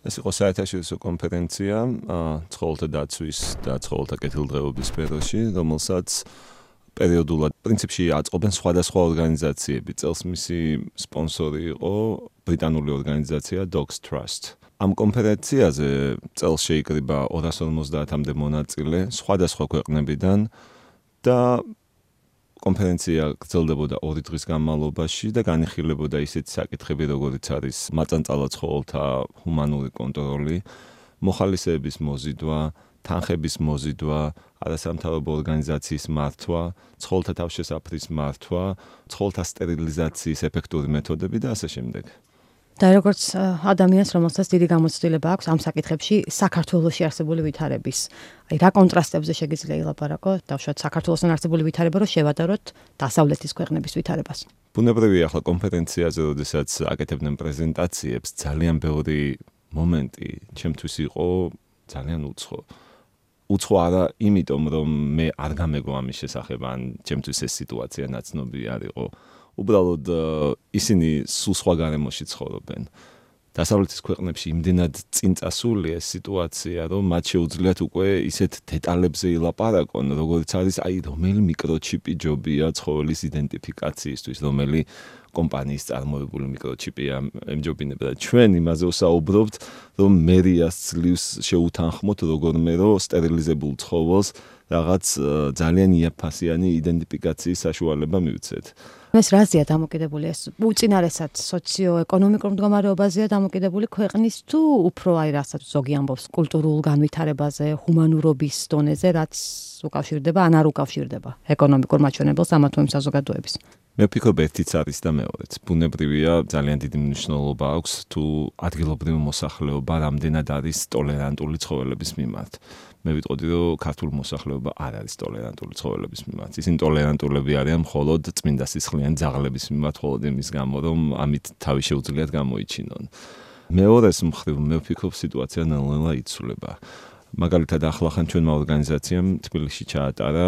ეს იყო საერთაშორისო კონფერენცია ცხოველთა დაცვის და ცხოველთა კეთილდღეობის სფეროში, რომელსაც პერიოდულად პრინციპში აწყობენ სხვადასხვა ორგანიზაციები. წელს მისი სპონსორი იყო ბრიტანული ორგანიზაცია Dogs Trust. ამ კონფერენციაზე წელს შეიკრიბა 250-მდე მონაწილე სხვადასხვა ქვეყნებიდან და კონფერენცია გრძელდებოდა 2 დღის განმავლობაში და განიხილებოდა ისეთი საკითხები, როგორიც არის მაწანწალა ცხოველთა ჰუმანური კონტროლი, მოხალისეების მოზიდვა, თანხების მოზიდვა, არასამთავრობო ორგანიზაციის მართვა, ცხოველთა თავშესაფრის მართვა, ცხოველთა სტერილიზაციის ეფექტური მეთოდები და ასე შემდეგ. და როგორც ადამიანს, რომელსაც დიდი გამოცდილება აქვს ამ საკითხებში, საქართველოში არსებული ვითარების, რა კონტრასტებზე შეგიძლია ილაპარაკო, დავუშვათ საქართველოსთან არსებული ვითარება, რომ შევადაროთ დასავლეთის ქვეყნების ვითარებას. ბუნებრივია, ახლა კონფერენციაზე, როდესაც აკეთებდნენ პრეზენტაციებს, ძალიან ბევრი მომენტი ჩემთვის იყო ძალიან უცხო. უცხო არა, იმიტომ რომ მე არ გამეგო ამის შესახებ, ან ჩემთვის ეს სიტუაცია ნაცნობი არ იყო. უბრალოდ ისინი სულ სხვა გარემოში ცხოვრობენ. დასავლეთის ქვეყნებში იმდენად წინ წასული ეს სიტუაცია, რომ მათ შეუძლიათ უკვე ისეთ დეტალებზე ილაპარაკონ, როგორც არის რომელი მიკროჩიპი ჯობია ცხოველის იდენტიფიკაციისთვის, რომელი კომპანიის წარმოებული მიკროჩიპია ემჯობინება და ჩვენ იმაზე ვსაუბრობთ, რომ მერიას ძლივს შეუთანხმოთ როგორმე რომ სტერილიზებულ ცხოველს რაღაც ძალიან იაფასიანი იდენტიფიკაციის საშუალება მივცეთ. ეს რაზეა დამოკიდებული ეს უწინარესად სოციო-ეკონომიკურ მდგომარეობაზეა დამოკიდებული ქვეყნის თუ უფრო რასაც ზოგი ამბობს კულტურულ განვითარებაზე, ჰუმანურობის დონეზე, რაც უკავშირდება ან არ უკავშირდება ეკონომიკურ მაჩვენებელს ამა თუ იმ საზოგადოების. მე ვფიქრობ ერთიც არის და მეორეც. ბუნებრივია ძალიან დიდი მნიშვნელობა აქვს თუ ადგილობრივი მოსახლეობა რამდენად არის ტოლერანტული ცხოველების მიმართ. მე ვიტყოდი რომ ქართული მოსახლეობა არ არის ტოლერანტული ცხოველების მიმართ. ისინი ტოლერანტულები არიან მხოლოდ წმინდა სისხლიანი ძაღლების მიმართ, მხოლოდ იმის გამო რომ ამით თავი შეუძლიათ გამოიჩინონ. მეორეს მხრივ მე ვფიქრობ სიტუაცია ნელ-ნელა იცვლება. მაგალითად ახლახან ჩვენმა ორგანიზაციამ თბილისში ჩაატარა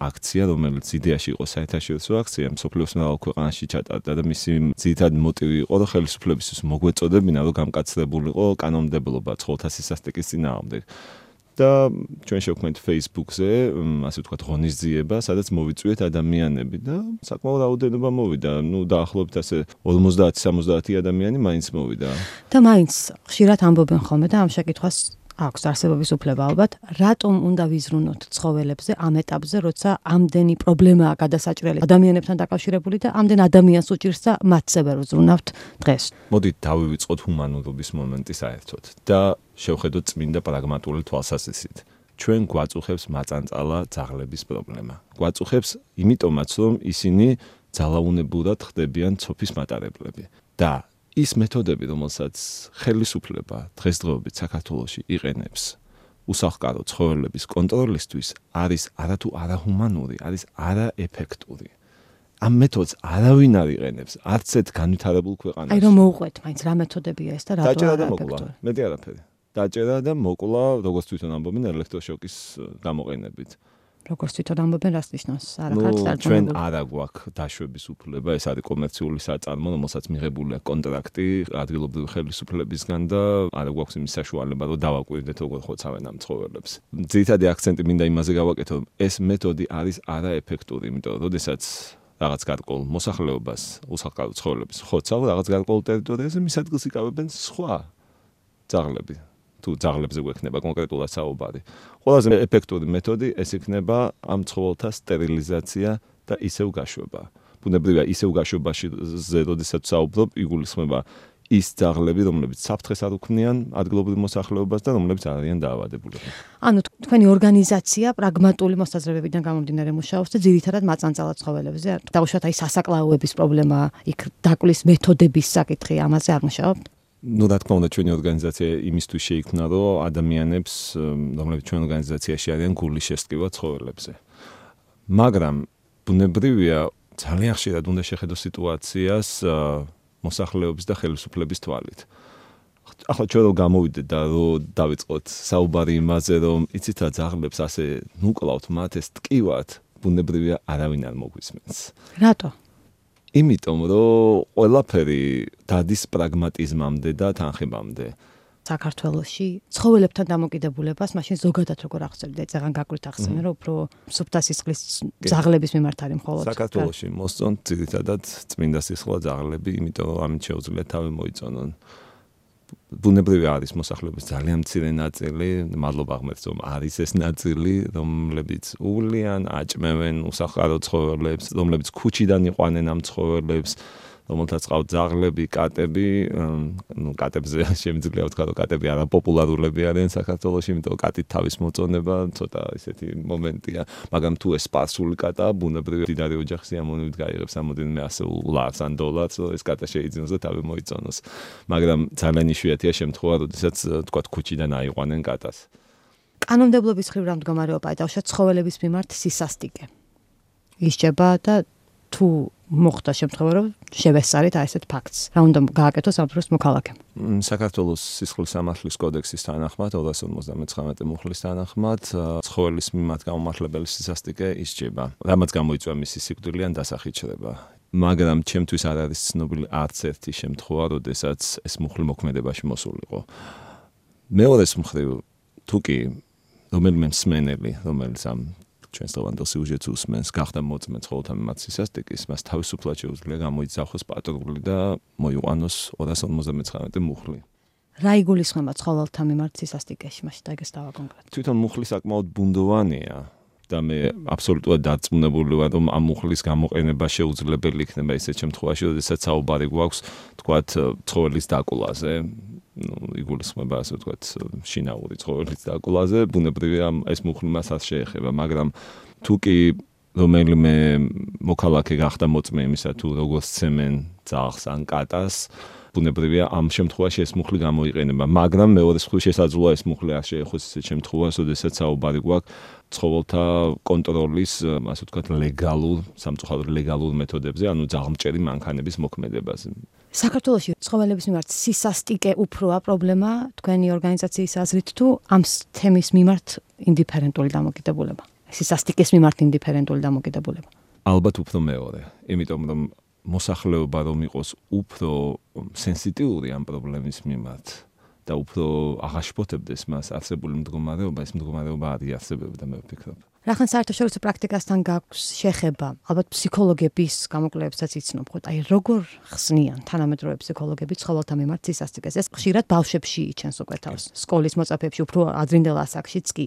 აქცია, რომელიც იდეაში იყო საერთაშორისო აქცია, მსოფლიოს მრავალ ქვეყანაში ჩატარდა და მისი ძირითადი მოტივი იყო, რომ ხელისუფლებისთვის მოგვეწოდებინა, რომ გამკაცრებულიყო კანონმდებლობა ცხოველთა სისასტიკის წინააღმდეგ. და ჩვენ შევქმნით Facebook-ზე, ასე ვთქვათ, ღონისძიება, სადაც მოვიწვიეთ ადამიანები და საკმაოდ რაოდენობა მოვიდა. დაახლოებით ასე 50-70 ადამიანი მაინც მოვიდა. და მაინც ხშირად ამბობენ ხოლმე და ამ შეკითხვას აქვს არსებობის უფლება ალბათ, რატომ უნდა ვიზრუნოთ ცხოველებზე ამ ეტაპზე, როცა ამდენი პრობლემაა გადასაჭრელი ადამიანებთან დაკავშირებული და ამდენ ადამიანს უჭირს და მათზე ვერ ვზრუნავთ დღეს. მოდით დავივიწყოთ ჰუმანურობის მომენტი საერთოდ და შევხედოთ წმინდა პრაგმატული თვალსაზრისით. ჩვენ გვაწუხებს მაწანწალა ძაღლების პრობლემა. გვაწუხებს იმიტომაც, რომ ისინი ძალაუნებურად ხდებიან ცოფის მატარებლები და ის მეთოდები, რომელსაც ხელისუფლება დღესდღეობით საქართველოში იყენებს უსახლკარო ცხოველების კონტროლისთვის, არის არათუ არაჰუმანური, არის არაეფექტური. ამ მეთოდს არავინ არ იყენებს, არც ერთ განვითარებულ ქვეყანაში. აი რომ მოუყვეთ, მაინც რა მეთოდებია ეს და რატო არაეფექტური? მეტი არაფერი. დაჭერა და მოკლა, როგორც თვითონ ამბობენ, ელექტროშოკის გამოყენებით. როგორც თვითონ ამბობენ, რას ნიშნავს? ჩვენ არ აგვაქვს დაშვების უფლება, ეს არის კომერციული საწარმო, რომელსაც მიღებული აქვს კონტრაქტი ადგილობრივი ხელისუფლებისგან და არ გვაქვს იმის საშუალება, რომ დავაკვირდეთ როგორ ხოცავენ ამ ცხოველებს. ძირითადი აქცენტი მინდა იმაზე გავაკეთო, რომ ეს მეთოდი არის არაეფექტური, იმიტომ რომ როდესაც რაღაც გარკვეულ მოსახლეობას უსახლკარო ცხოველების ხოცავ რაღაც გარკვეულ ტერიტორიაზე მის ადგილს იკავებენ სხვა ძაღლები. თუ ძაღლებზე გვექნება კონკრეტულად საუბარი. ყველაზე ეფექტური მეთოდი ეს იქნება ამ ცხოველთა სტერილიზაცია და ისევ გაშვება. ბუნებრივია ისევ გაშვებაში როდესაც საუბრობ, იგულისხმება ის ძაღლები, რომლებიც საფრთხეს არ უქმნიან ადგილობრივ მოსახლეობას და რომლებიც არ არიან დაავადებულები. ანუ თქვენი ორგანიზაცია პრაგმატული მოსაზრებებიდან გამომდინარე მუშაობს და ძირითადად მაწანწალა ცხოველებზე. დავუშვათ აი სასაკლაოების პრობლემა, იქ დაკლის მეთოდების საკითხი, ამაზე არ მუშაობთ? რა თქმა უნდა, ჩვენი ორგანიზაცია იმისთვის შეიქმნა, რომ ადამიანებს, რომლებიც ჩვენ ორგანიზაციაში არიან, გული შესწკივა ცხოველებზე. მაგრამ ბუნებრივია, ძალიან ხშირად უნდა შეხედო სიტუაციას მოსახლეობის და ხელისუფლების თვალით. ახლა ჩვენ რომ გამოვიდეთ და რომ დავიწყოთ საუბარი იმაზე, რომ იცით რა ძაღლებს ასე ნუკლავთ მათ ეს ტკივათ, ბუნებრივია არავინ არ მოგვისმენს. რატო? იმიტომ რომ ყველაფერი დადის პრაგმატიზმამდე და თანხებამდე. საქართველოში ცხოველებთან დამოკიდებულებას მაშინ ზოგადად როგორ ახსენებთ? ზეგან გაკვირთ ახსენე, რომ უფრო სუფთა სისხლის ძაღლების მიმართ არის მხოლოდ. საქართველოში მოსწონთ ძირითადად წმინდა სისხლა ძაღლები, იმიტომ რომ ამით შეუძლიათ თავი მოიწონონ. ბუნებრივი არის მოსახლეობის ძალიან მცირე ნაწილი, მადლობა ღმერთს, რომ არის ეს ნაწილი, რომლებიც უვლიან, აჭმევენ უსახკარო ცხოველებს, რომლებიც ქუჩიდან იყვანენ ამ ცხოველებს, რომელთაც ყავთ ძაღლები, კატები, კატებზე შემიძლია ვთქვა, რომ კატები არაპოპულარულები არიან საქართველოში, იმიტომ რომ კატით თავის მოწონება ცოტა ისეთი მომენტია, მაგრამ თუ ეს სპარსული კატაა, ბუნებრივი მდიდარი ოჯახის სიამოვნებით გაიღებს რამოდენიმე ასეულ ლარს ან დოლარს, რომ ეს კატა შეიძინოს და თავი მოიწონოს. მაგრამ ძალიან იშვიათია შემთხვევა, როდესაც თქვა ქუჩიდან აიყვანენ კატას. კანონმდებლობის მხრივ რა მდგომარეობაა დავუშვათ ცხოველების მიმართ სისასტიკე. ისჯება და თუ მოხდა შემთხვევა, რომ შევესწარით ასეთ ფაქტს. რა უნდა გააკეთოს სამხედრო მოქალაქემ? საქართველოს სისხლის სამართლის კოდექსის თანახმად 259 მუხლის თანახმად ცხოველის მიმართ გამომართლებელი სისასტიკე ისჯება. რამაც გამოიწვია მისი სიკვდილი ან დასახიჩრება. მაგრამ ჩემთვის არ არის ცნობილი არც ერთი შემთხვევა, როდესაც ეს მუხლი მოქმედებაში მოსულიყო. მეორეს მხრივ, თუ კი რომელიმე მსმენელი, რომელიც ამ ჩვენს დღევანდელ სიუჟეტს უსმენს, გახდა მოწმე ცხოველთა მიმართ სისასტიკის, მას თავისუფლად შეუძლია გამოიძახოს პატრული და მოიყვანოს 259 მუხლი. რა იგულისხმება ცხოველთა მიმართ სისასტიკეში, მაშინ ეგეს დავა კონკრეტულად. თვითონ მუხლი საკმაოდ ბუნდოვანია და მე აბსოლუტურად დარწმუნებული ვარ, რომ ამ მუხლის გამოყენება შეუძლებელი იქნება ისეთ შემთხვევაში, როდესაც საუბარი გვაქვს, თქვათ, ცხოველის დაკვლაზე. იგულისხმება ასე ვთქვათ შინაური ცხოველის დაკვლაზე, ბუნებრივია ეს მუხლი მას არ შეეხება, მაგრამ თუ კი რომელიმე მოქალაქე გახდა მოწმე იმისა, თუ როგორ სცემენ ძაღლს ან კატას, ბუნებრივია ამ შემთხვევაში ეს მუხლი გამოიყენება, მაგრამ მეორეს მხრივ შესაძლოა ეს მუხლი არ შეეხოს ისეთ შემთხვევას, როდესაც საუბარი გვაქვს ცხოველთა კონტროლის, ასე ვთქვათ, ლეგალურ, სამწუხაროდ ლეგალურ მეთოდებზე, ანუ ძაღლმჭერი მანქანების მოქმედებაზე. საქართველოში ცხოველების მიმართ სისასტიკე უფროა პრობლემა თქვენი ორგანიზაციის აზრით თუ ამ თემის მიმართ ინდიფერენტული დამოკიდებულება? სისასტიკის მიმართ ინდიფერენტული დამოკიდებულება. ალბათ უფრო მეორე, იმიტომ რომ მოსახლეობა რომ იყოს უფრო სენსიტიური ამ პრობლემის მიმართ და უფრო აღაშფოთებდეს მას არსებული მდგომარეობა, ეს მდგომარეობა არ იარსებებდა, მე ვფიქრობ. რახან საერთაშორისო პრაქტიკასთან გაქვს შეხება, ალბათ ფსიქოლოგების გამოკვლევებსაც იცნობ, ხო? აი როგორ ხსნიან თანამედროვე ფსიქოლოგები ცხოველთა მიმართ სისასტიკეს? ეს ხშირად ბავშვებში იჩენს უკვე თავს, სკოლის მოწაფეებში, უფრო ადრინდელ ასაკშიც კი.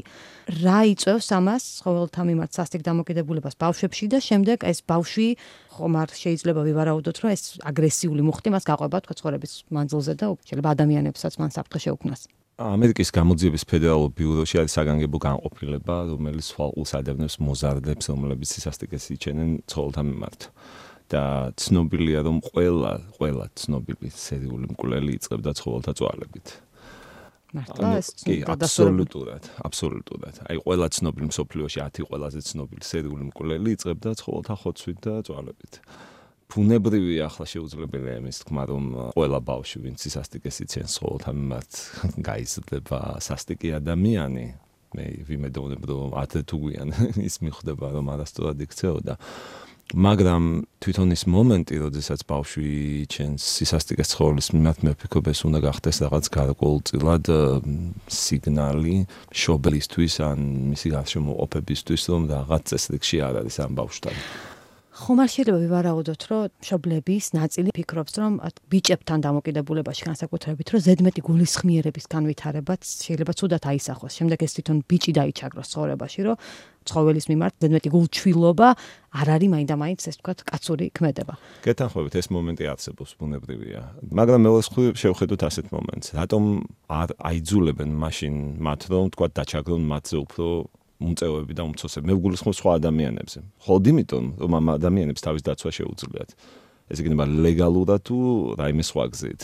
რა იწვევს ამას ცხოველთა მიმართ სასტიკ დამოკიდებულებას ბავშვებში და შემდეგ ეს ბავშვი ხომ არ შეიძლება ვივარაუდოთ, რომ ეს აგრესიული მუხტი მას გაყვება თქვა ცხოვრების მანძილზე და შეიძლება ადამიანებსაც მან საფრთხე შეუქმნას. ამერიკის გამოძიების ფედერალურ ბიუროში არის საგანგებო განყოფილება, რომელიც სვალყულს ადევნებს მოზარდებს, რომლებიც სისასტიკეს იჩენენ ცხოველთა მიმართ. და ცნობილია, რომ ყველა ცნობილი სერიული მკვლელი იწყებდა ცხოველთა წვალებით. მართლა ეს აბსოლუტურად. აი ყველა ცნობილი მსოფლიოში 10 ყველაზე ცნობილი სერიული მკვლელი იწყებდა ცხოველთა ხოცვით და წვალებით. ბუნებრივია ახლა შეუძლებელია იმის თქმა, რომ ყველა ბავშვი, ვინც სისასტიკეს იცენს ცხოველთა მიმართ, გაიზრდება სასტიკი ადამიანი. მე ვიმედოვნებ, რომ 10 თუ გვიან ის მიხვდება, რომ არასწორად იქცეოდა. მაგრამ თვითონ ის მომენტი, როდესაც ბავშვი იჩენს სისასტიკეს ცხოველის მიმართ, მე ვფიქრობ, ეს უნდა გახდეს რაღაც გარკვეულწილად სიგნალი მშობლისთვის ან მისი გარშემოყოფებისთვის, რომ რაღაც წესრიგში არ არის ამ ბავშვთან. ხომ არ შეიძლება ვივარაუდოთ, რომ მშობლების ნაწილი ფიქრობს, რომ ბიჭებთან დამოკიდებულებაში განსაკუთრებით, რომ ზედმეტი გულისხმიერების განვითარებაც შეიძლება ცუდად აისახოს. შემდეგ ეს თვითონ ბიჭი დაიჩაგროს ცხოვრებაში, რომ ცხოველის მიმართ ზედმეტი გულჩვილობა არ არის მაინდა-მაინც ეს ვთქვათ კაცური ქმედება. გეთანხმებით, ეს მომენტი არსებობს, ბუნებრივია. მაგრამ მეუღლეს ხრი შევხედოთ ასეთ მომენტს. რატომ არ აიძულებენ მაშინ მათ, რომ ვთქვათ დაჩაგრონ მათზე უფრო უმწევები და უმცროსები. მე ვგულისხმობ სხვა ადამიანებზე. მხოლოდ იმიტომ, რომ ამ ადამიანებს თავის დაცვა შეუძლიათ. ეს იქნება ლეგალურად თუ რაიმე სხვა გზით.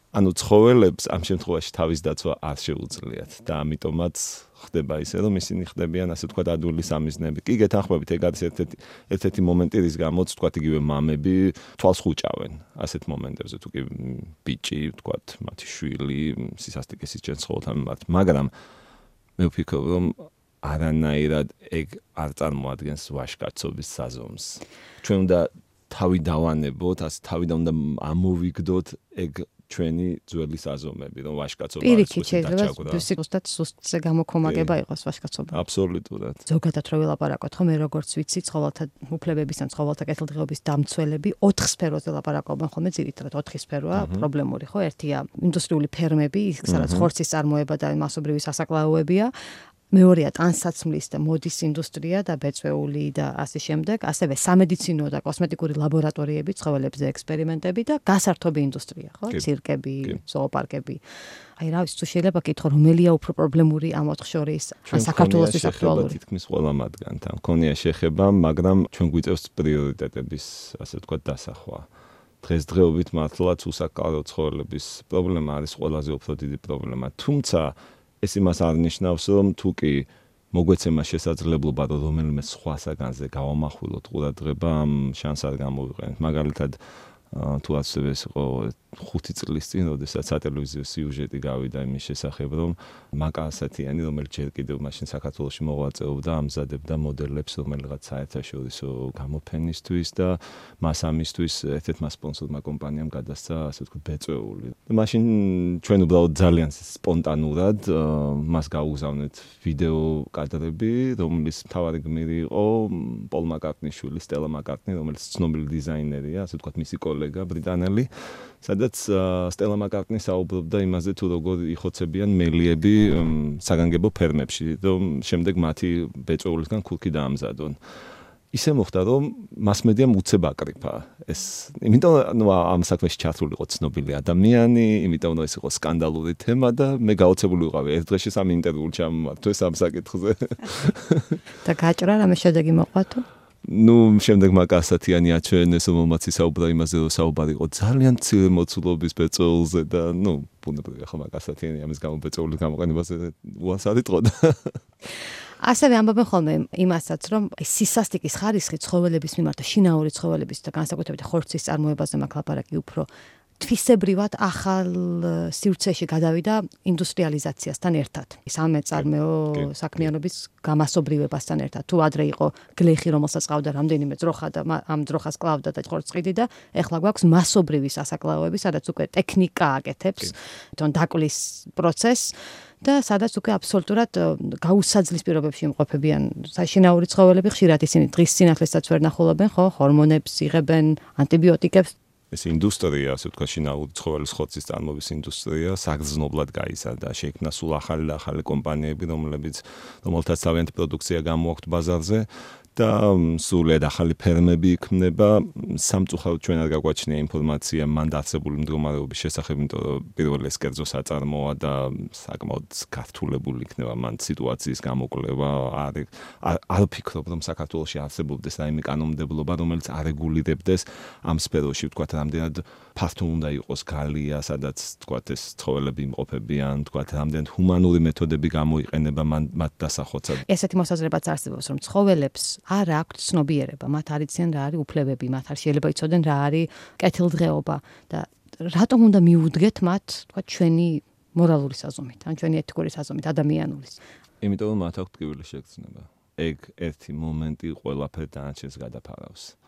ანუ ცხოველებს ამ შემთხვევაში თავის დაცვა არ შეუძლიათ და ამიტომაც ხდება ისე, რომ ისინი ხდებიან ასე ვთქვათ ადვილი სამიზნეები. კი გეთანხმებით, ეგ არის ერთ-ერთი მომენტი, რის გამოც ვთქვათ იგივე მამები თვალს ხუჭავენ ასეთ მომენტებზე, თუ კი ბიჭი, ვთქვათ, მათი შვილი სისასტიკეს იჩენს ცხოველთა მიმართ. მაგრამ მე ვფიქრობ, რომ არანაირად ეგ არ წარმოადგენს ვაჟკაცობის საზომს. ჩვენ უნდა თავი დავანებოთ, ასე თავიდან უნდა ამოვიგდოთ ეგ ჩვენი ძველი საზომები, რომ ვაჟკაცობა პირიქით შეიძლება სიტყვასთან სუსტზე გამოქომაგება იყოს ვაჟკაცობა. აბსოლუტურად. ზოგადად რო ვილაპარაკოთ, ხო მე როგორც ვიცი, ცხოველთა უფლებების ან ცხოველთა კეთილდღეობის დამცველები 4 სფეროზე ლაპარაკობენ ხოლმე ძირითადად 4 სფეროა პრობლემური, ხო? ერთია ინდუსტრიული ფერმები, სადაც ხორცის წარმოება და მასობრივი სასაკლაოებია. მეორეა ტანსაცმლის და მოდის ინდუსტრია და ბეწვეული და ასე შემდეგ, ასევე სამედიცინო და კოსმეტიკური ლაბორატორიები, ცხოველებზე ექსპერიმენტები და გასართობი ინდუსტრია, ხო? ცირკები, ზოოპარკები. აი რა ვიცი, თუ შეიძლება კითხო, რომელია უფრო პრობლემური ამ 4 შორის, საქართველოსთვის აქტუალური? თითქმის ყველა მათგანთან. მქონია შეხება, მაგრამ ჩვენ გვიწევს პრიორიტეტების, ასე ვთქვათ, დასახვა. დღესდღეობით მართლაც უსაკავო ცხოველების პრობლემა არის ყველაზე უფრო დიდი პრობლემა. თუმცა ეს იმას არ ნიშნავს, რომ თუ კი მოგვეცემა შესაძლებლობა, რომ რომელიმე სხვა საგანზე გავამახვილოთ ყურადღება, ამ შანსს არ გამოვიყენებთ. მაგალითად, თუ ასე იყო 5 წლის წინ, როდესაც სატელევიზიო სიუჟეტი გავიდა იმის შესახებ, რომ მაკა ასათიანი, რომელიც ჯერ კიდევ მაშინ საქართველოში მოღვაწეობდა, ამზადებდა მოდელებს, რომელიღაც საერთაშორისო გამოფენისთვის და მას ამისთვის ერთ-ერთმა სპონსორმა კომპანიამ გადასცა, ასე ვთქვათ, ბეწვეული. მაშინ ჩვენ უბრალოდ ძალიან სპონტანურად მას გაუგზავნეთ ვიდეო კადრები, რომლის მთავარი გმირი იყო პოლ მაკარტნის შვილი, სტელა მაკარტნი, რომელიც ცნობილი დიზაინერია, ასე ვთქვათ, მისი კოლეგა ბრიტანელი. სადაც სტელა მაკარტნი საუბრობდა იმაზე, თუ როგორ იხოცებიან მელიები საგანგებო ფერმებში, რომ შემდეგ მათი ბეწვეულისგან ქურქი დაამზადონ. ისე მოხდა, რომ მასმედიამ უცებ აკრიფა ეს. იმიტომ ამ საქმეში ჩართული იყო ცნობილი ადამიანი, იმიტომ რომ ეს იყო სკანდალური თემა და მე გაოცებული ვიყავი ერთ დღეში 3 ინტერვიუ ჩამოვარდე ამ საკითხზე. და გაჭრა რამე შედეგი მოყვა თუ? შემდეგ მაკა ასათიანი აჩვენეს, რომელმაც ისაუბრა იმაზე, რომ საუბარი იყო ძალიან მცირე მოცულობის ბეწვეულზე და ბუნებრივია ხო მაკა ასათიანი ამის გამო ბეწვეულის გამოყენებაზე უარს არ იტყოდა. ასევე ამბობენ ხოლმე იმასაც, რომ სისასტიკის ხარისხი ცხოველების მიმართ და შინაური ცხოველების და განსაკუთრებით ხორცის წარმოებაზე მაქვს ლაპარაკი უფრო თვისებრივად ახალ სივრცეში გადავიდა ინდუსტრიალიზაციასთან ერთად. სამეწარმეო საქმიანობის გამასობრივებასთან ერთად. თუ ადრე იყო გლეხი, რომელსაც ყავდა რამდენიმე ძროხა და ამ ძროხას კლავდა და ხორცყიდი და ეხლა გვაქვს მასობრივი სასაკლაოები, სადაც უკვე ტექნიკა აკეთებს, თვითონ დაკლის პროცესს და სადაც უკვე აბსოლუტურად გაუსაძლის პირობებში იმყოფებიან საშინაური ცხოველები, ხშირად ისინი დღის სინათლესაც ვერ ნახულობენ, ხო, ჰორმონებს იღებენ, ანტიბიოტიკებს. ეს ინდუსტრია, ასე ვთქვათ, შინაური ცხოველის ხორცის წარმოების ინდუსტრია საგრძნობლად გაიზარდა. შეიქმნა სულ ახალი კომპანიები, რომელთაც თავიანთი პროდუქცია გამოაქვთ ბაზარზე და სულად ახალი ფერმები იქმნება. სამწუხაროდ ჩვენ არ გაგვაჩნია ინფორმაცია მან დაარსებული მდგომარეობის შესახებ, იმიტომ რომ პირველ ეს კერძო საწარმოა და საკმაოდ გართულებული იქნება მან სიტუაციის გამოკვლევა. არ ვფიქრობ, რომ საქართველოში არსებობდეს რაიმე კანონმდებლობა, რომელიც არეგულირებდეს ამ სფეროში, ვთქვათ, რამდენად ფართო უნდა იყოს გალია, სადაც ვთქვათ ეს ცხოველები იმყოფებიან, ვთქვათ, რამდენად ჰუმანური მეთოდები გამოიყენება მათ დასახოცად. ესეთი მოსაზრებაც არსებობს, რომ ცხოველებს არ აქვთ ცნობიერება, მათ არ იციან რა არის უფლებები, მათ არ შეიძლება იცოდნენ რა არის კეთილდღეობა და რატომ უნდა მიუდგეთ მათ, თქვა ჩვენი მორალური საზომით, ან ჩვენი ეთიკური საზომით, ადამიანურის. იმიტომ რომ მათ აქვთ ტკივილი შეგრძნება. ეგ ერთი მომენტი ყველაფერ დანარჩენს გადაფარავს.